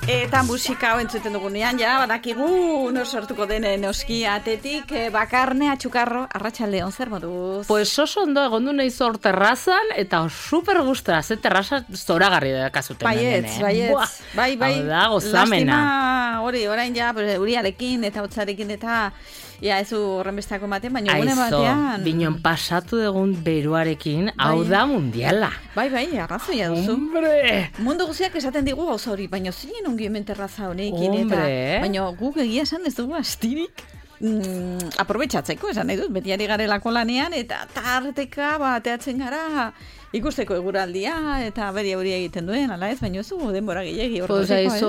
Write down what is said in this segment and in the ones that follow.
Eta musika hau entzuten dugunean, ja, badakigu, sortuko denen noski atetik, Bakarne Atxukarro, arratsaldeon zer moduz? Pues oso ondo egon du nahi zor terrazan, eta super gustora, ze terraza zoragarri dakazuten. Baietz. Bai. Hau da, gozamena. Lastima, orain ja, uriarekin eta hotzarekin eta... Ja, ez horren bestako ematen, baina gune batean... Binon pasatu egun beruarekin, hau da mundiala. Bai, arrazoia duzu. Hombre! Mundu guziak esaten digu gauza hori, baina zinen ongi hemen terraza honekin eta... Baina guk egia esan ez dugu astirik aprobetxatzeko, esan nahi dut, beti ari garelako lanean, eta tarteka bateatzen gara... Ikusteko eguraldia eta beri hori egiten duen, ala ez, baina ez dugu denbora gehiagi horretako, ez?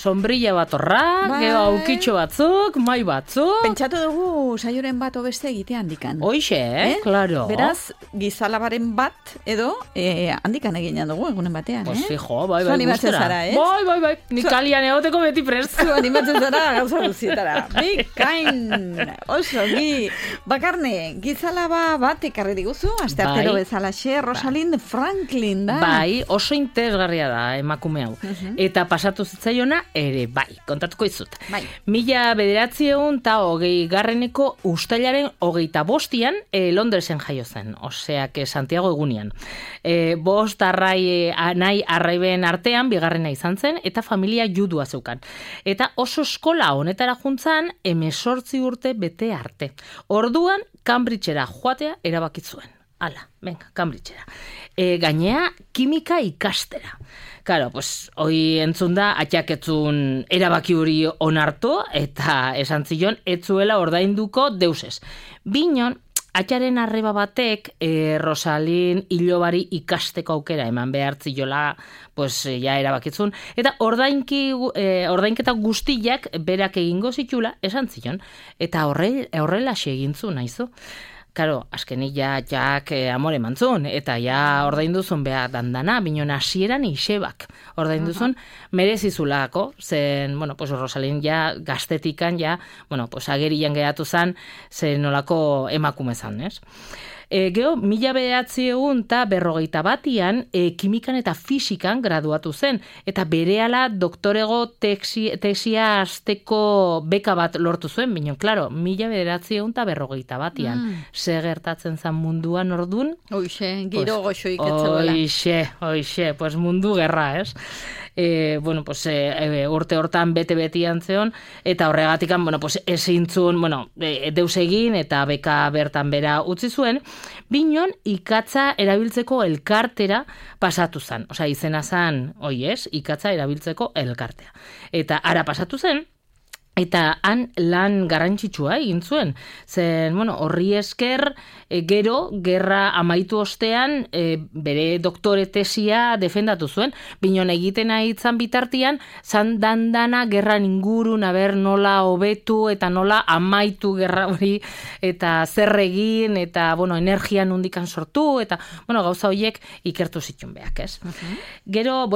Sombrilla bat horrak, gero aukitxo batzuk, mai batzuk... Pentsatu dugu saioren bat obeste egitea handikan. Hoixe, claro. Beraz, gizalabaren bat edo handikan eginean dugu egunen batean, Pues fijo, bai, animatzen zara, ez? Bai, nik kalian egoteko beti prest. Zu animatzen zara gauza duzietara. Bikain, oso, Bakarne, gizalaba bat ekarri diguzu, asteartero bezalaxe, Rosalind Franklin da. Bai, oso interesgarria da emakume hau. Eta pasatu zitzaiona ere, bai, kontatuko izut. Bai. 1920 ustailaren 25 Londresen jaio zen, oseak Santiago egunian. 5 nahi arraiben artean, bigarrena izan zen, eta familia judua zeukan. Eta oso eskola honetara juntzan, 18 urte bete arte. Orduan, Cambridgera joatea erabakitzuen. Hala, venga, Cambridgera. Gainea, kimika ikastera. Claro, pues, hoi entzun da, atxaketzun erabaki hori onartu, eta esan zion, etzuela ordainduko deusez. Binon, atxaren arreba batek, Rosalin hilobari ikasteko aukera eman behartziola, pues, ja erabakitzun, eta ordainketa guztiak berak egingo zitula, esan zion, eta horrela egintzun, naizu. Karo, azkenik jak amore mantzun, eta ja ordainduzun beha dandana, binon hasieran isebak ordainduzun merezizulako, zen, pues Rosalin ja gaztetikan ja, pues agerian geratu zan, zen nolako emakume zan, ez? Gero, 1941 kimikan eta fisikan graduatu zen, eta berehala doktorego tesia azteko beka bat lortu zuen, binon, klaro, 1941 ze gertatzen zan munduan ordun. Hoixe, giro goxoik etzeuela. Hoixe, pues mundu gerra, ez? Urte hortan bete-betian zeon, eta horregatikan, ezintzun, deus egin, eta beka bertan bera utzi zuen, binon ikatza erabiltzeko elkartera pasatu zen. Osea, izena zen, ikatza erabiltzeko elkartea. Eta ara pasatu zen, eta han lan garrantzitsua egin zuen. Zen, horri esker, gero, gerra amaitu ostean, bere doktore tesia defendatu zuen. Binon egiten aitzan bitartian, zan dandana gerran ingurun, nola hobetu eta nola amaitu gerra hori, eta zer egin, eta, energia nundikan sortu, eta, gauza horiek ikertu zituen beak, ez? Gero,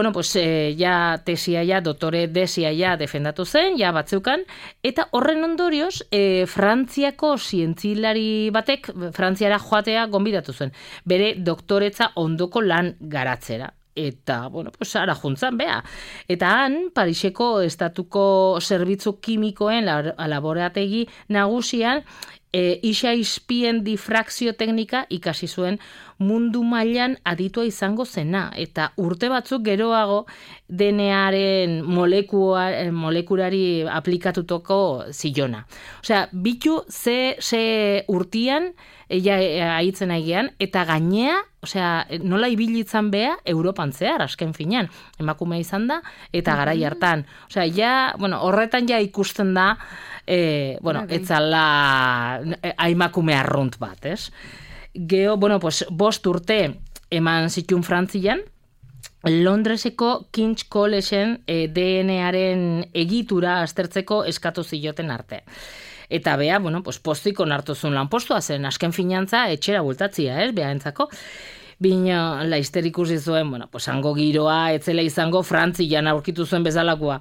ja tesia ja, doktore desia ja defendatu zen, ja batzeukan, eta horren ondorioz, Frantziako zientzilari batek, Frantziara joatea gonbidatu zen, bere doktoretza ondoko lan garatzera. Eta, ara juntzan, bea. Eta han, Pariseko estatuko zerbitzu kimikoen laborategi nagusian, isa izpien difrakzio teknika ikasi zuen mundu mailan aditua izango zena. Eta urte batzuk geroago DNA-aren molekulari aplikatutoko zilona. Osea, bitu ze urtian aitzen aigean, eta gainea, nola ibilitzan beha Europan zehar, asken finean, emakume izan da, eta garai hartan. Horretan ja ikusten da, etzala emakume arrunt bat, ez? Geo, 5 urte eman zituen Frantzian, Londreseko King's Collegeen DNA-aren egitura aztertzeko eskatu zioten arte. Eta bea, pozik onartu zuen lanpostua zen, asken finantza etxera bultatzia, ez, bea entzako. Bina, laizter ikusi zuen, hango giroa, etzela izango Frantzian aurkitu zuen bezalakoa.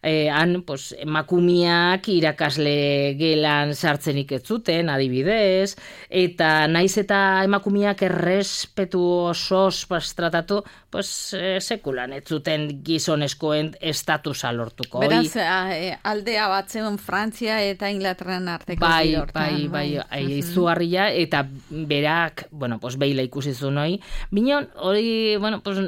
han, pues, emakumiak irakasle gelan sartzenik ez zuten, adibidez, eta naiz eta emakumiak errespetu osoz tratatu, pues, sekulan ez zuten gizonezkoen estatusa lortuko. Beraz, aldea bat zegoen Frantzia eta Inglaterran arteko zidortan. Izugarria, eta berak, bueno, pues, behila ikusi zuen hori. Binon, hori, bueno, pues,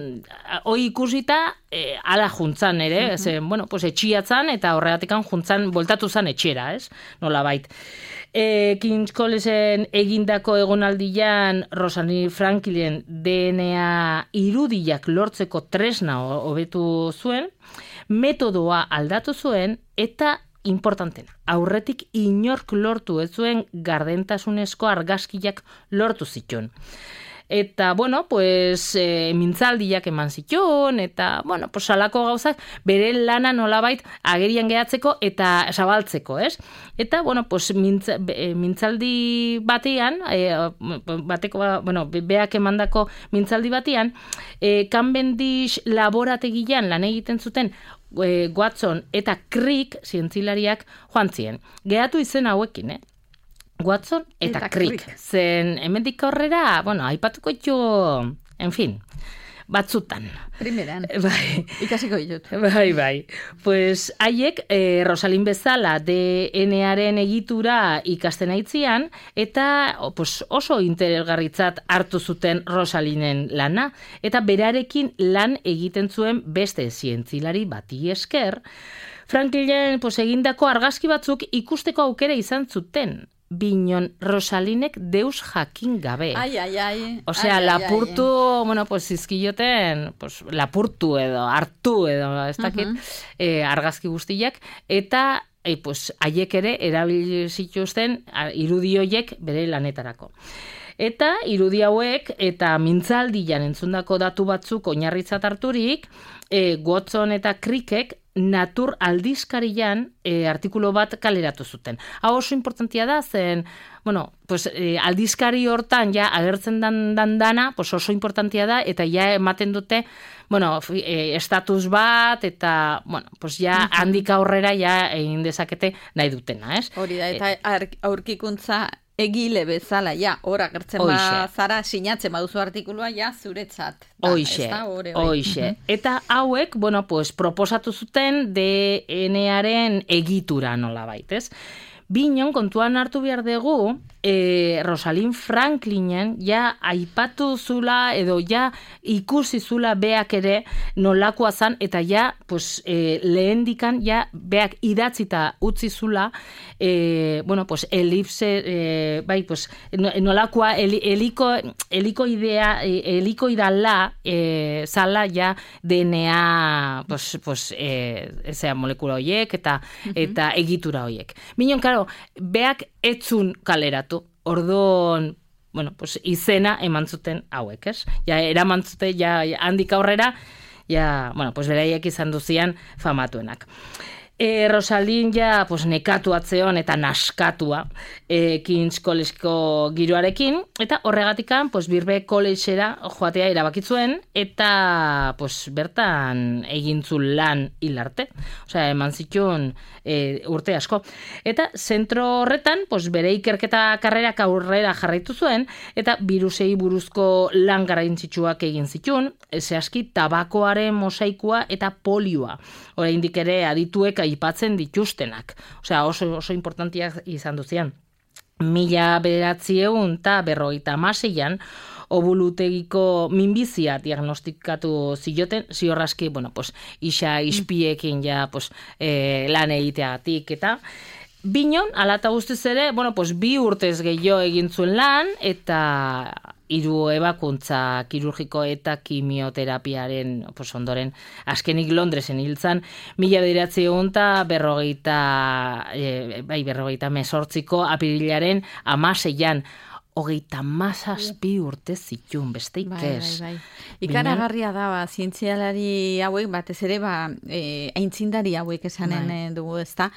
hori ikusita, ala juntzan ere, bueno, pues, etxiatzan, eta horregatikan juntzan, voltatu zan etxera, ez? Nolabait. King's Collegen egindako egonaldian Rosalind Franklin DNA irudiak lortzeko tresna hobetu zuen, metodoa aldatu zuen, eta importantena, aurretik inork lortu ez zuen gardentasunezko argazkiak lortu zituen. Eta, bueno, pues, mintzaldiak eman zituen, eta, bueno, pues, salako gauzak bere lana nolabait agerian gehatzeko eta zabaltzeko, ez? Eta, bueno, pues, mintzaldi batean, beak emandako mintzaldi batean, Cavendish laborategian lan egiten zuten Watson eta Crick zientzilariak joan ziren. Gehatu izen hauekin, Watson eta Crick. Zen, hemendik aurrera, bueno, aipatuko ditu, en fin, batzutan. Primeran, bai. Ikasiko ditut. Bai. Pues, haiek, Rosalind bezala DNA-aren egitura ikasten aitzian, eta pues, oso interesgarritzat hartu zuten Rosalinden lana, eta berarekin lan egiten zuen beste zientzilari bati esker, Franklinen pues, egindako argazki batzuk ikusteko aukera izan zuten. Binon Rosalindek deus jakin gabe. Osea, lapurtu, bueno, pues izkioten, pues lapurtu edo, hartu edo, ez dakit, argazki guztiak, eta pues haiek ere erabili zituzten irudi horiek bere lanetarako. Eta irudi hauek eta mintzaldian entzundako datu batzuk oinarritzat harturik, Watson eta Crickek Natur aldizkarian artikulu bat kaleratu zuten. Hau oso importantia da, zen, bueno, pues, aldizkari hortan ja agertzen dan dana, pues oso importantia da, eta ja ematen dute, bueno, estatus bat, eta, bueno, pues ja handik aurrera ja egin dezakete nahi dutena, ez? Hori da, eta aurkikuntza egile bezala, ja, hor agertzen zara, sinatzen baduzu artikulua, ja, zuretzat. Hoixe. Eta hauek, bueno, pues, proposatu zuten DNA-aren egitura nolabait, ez? Binon, kontuan hartu behar dugu, Rosalind Franklinen ja aipatu zula edo ja ikusi zula beak ere nolakoa zan, eta ja pues, lehendikan ja beak idatzita utzi zula bueno, pues, elipse bai, pues, nolakoa helikoidala zala ja DNA pues, molekula horiek eta egitura horiek. Binon, karo, beak etzun kaleratu, orduan, bueno, pues, izena eman zuten hauek, ez? Ja, eraman zuten, ja, handik aurrera, ja, bueno, pues, beraiek izan duzian famatuenak. Rosalind ja, pues, nekatu atzeon eta naskatua King's Collegeko giroarekin, eta horregatikan, pues, Birkbeck Collegera joatea erabakitzuen, eta, pues, bertan egintzun lan hilarte. Osea, eman zituen urte asko. Eta zentro horretan, pues, bere ikerketa karrerak aurrera jarraitu zuen, eta birusei buruzko lan garrantzitsuak egin zituen, zehazki tabakoaren mosaikua eta polioa. Oraindik ere adituek aipatzen dituztenak. Osea, oso importantiak izan duzian. 1956an obulutegiko minbizia diagnostikatu zioten, ziorraski, bueno, pues, isa ispiekin ja, pues, lan egiteagatik eta Binon, ala eta guztiz ere, bueno, pues, 2 urtez gehiago egin zuen lan, eta 3 ebakuntza kirurgiko eta kimioterapiaren pues, ondoren azkenik Londresen hiltzan, 1958ko apirilaren 16an. 37 urte zituen, besteik ez. Bai. Ikaragarria da, zientzialari hauek, batez ere, aintzindari hauek esanen dugu, ezta?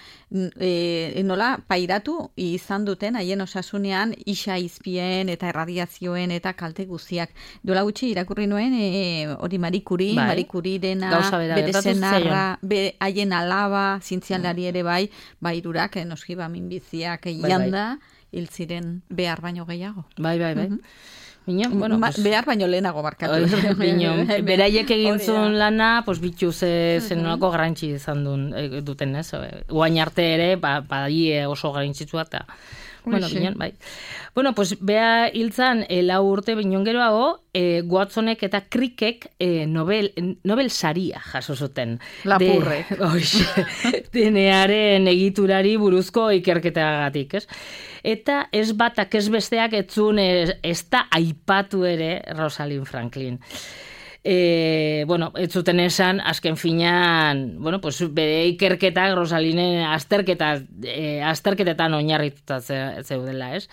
Nola, pairatu izan duten, haien osasunean, isa izpien eta erradiazioen eta kalte guztiak. Duela gutxi irakurri nuen, hori Marie Curie dena, bere zenarra, haien alaba, zientzialari ere bai, irurak, noski, minbiziak janda, hil ziren behar baino gehiago. Bai. Behar baino lehenago barkatu. Beraiek egin zuen lana, bitu zenolako garrantzi izan duten, ez? Guain arte ere, badie oso garrantzitsua eta... bai. Bea hiltzan 4 urte binon geroago, Watsonek eta Crickek Nobel saria jaso zuten. Lapurre. DNAren egiturari buruzko ikerketagatik, ez? Eta ez batak ez besteak etzun ez da aipatu ere Rosalind Franklin. Ez zuten esan, azken finean, bere ikerketak Rosalinen azterketetan oinarrituta zeudela, ez?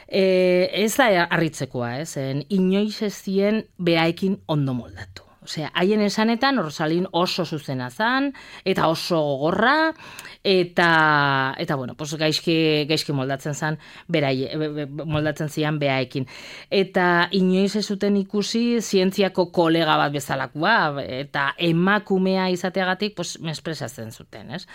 Ez da harritzekoa, ez? Inoiz ez zien beraekin ondo moldatu. Osea, haien esanetan Rosalin oso zuzena zan, eta oso gogorra, eta gaizki moldatzen zan, moldatzen zian behaekin. Eta inoiz ez zuten ikusi zientziako kolega bat bezalakoa, eta emakumea izateagatik, mespresatzen zuten, ez?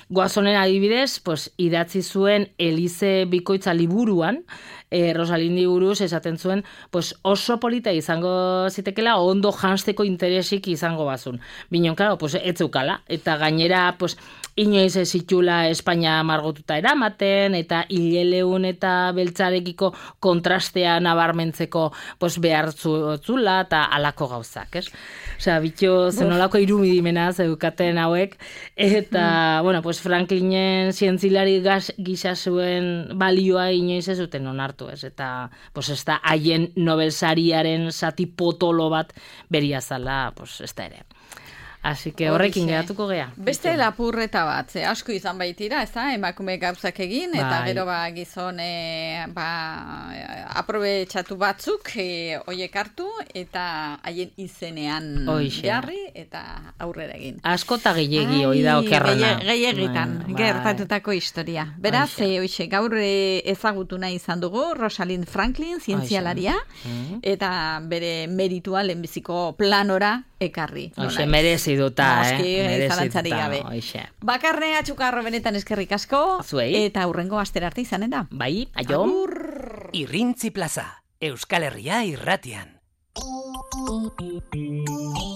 Watsonen adibidez, idatzi zuen Elize Bikoitza liburuan, Rosalindi buruz esaten zuen, oso polita izango zitekela, ondo jansteko interesik izango bazun. Binon, klaro, ez zeukala, eta gainera, inoiz ez zitula Espainia margotuta eramaten, eta hileleun eta beltzarekiko kontrastea nabarmentzeko behar zula, eta alako gauzak, ez? Osea, bitxo zenolako irudimena zeukaten hauek, eta, Franklinen zientzilari gisa zuen balioa inoiz ez duten onartu, ez? Eta, ez da haien Nobel sariaren zati potolo bat beria zala, ez da ere. Así que horrekin geratuko gea. Beste lapurreta bat, asko izan baitira, ez da, emakume gauzak egin, eta gero gizon aprobetxatu batzuk oiek hartu, eta haien izenean jarri, eta aurrera egin. Asko eta gehiagi hoi da okerrana. Gehiagitan, gertatutako historia. Beraz, gaur ezagutu nahi izan dugu, Rosalind Franklin, zientzialaria, eta bere meritua lehenbiziko planora ekarri. Merezi duta, zalantzari gabe. Bakarne atxukarro benetan eskerrik asko, eta hurrengo astera arte izanen da. Bai, aio. Irrintzi Plaza, Euskal Herria irratian.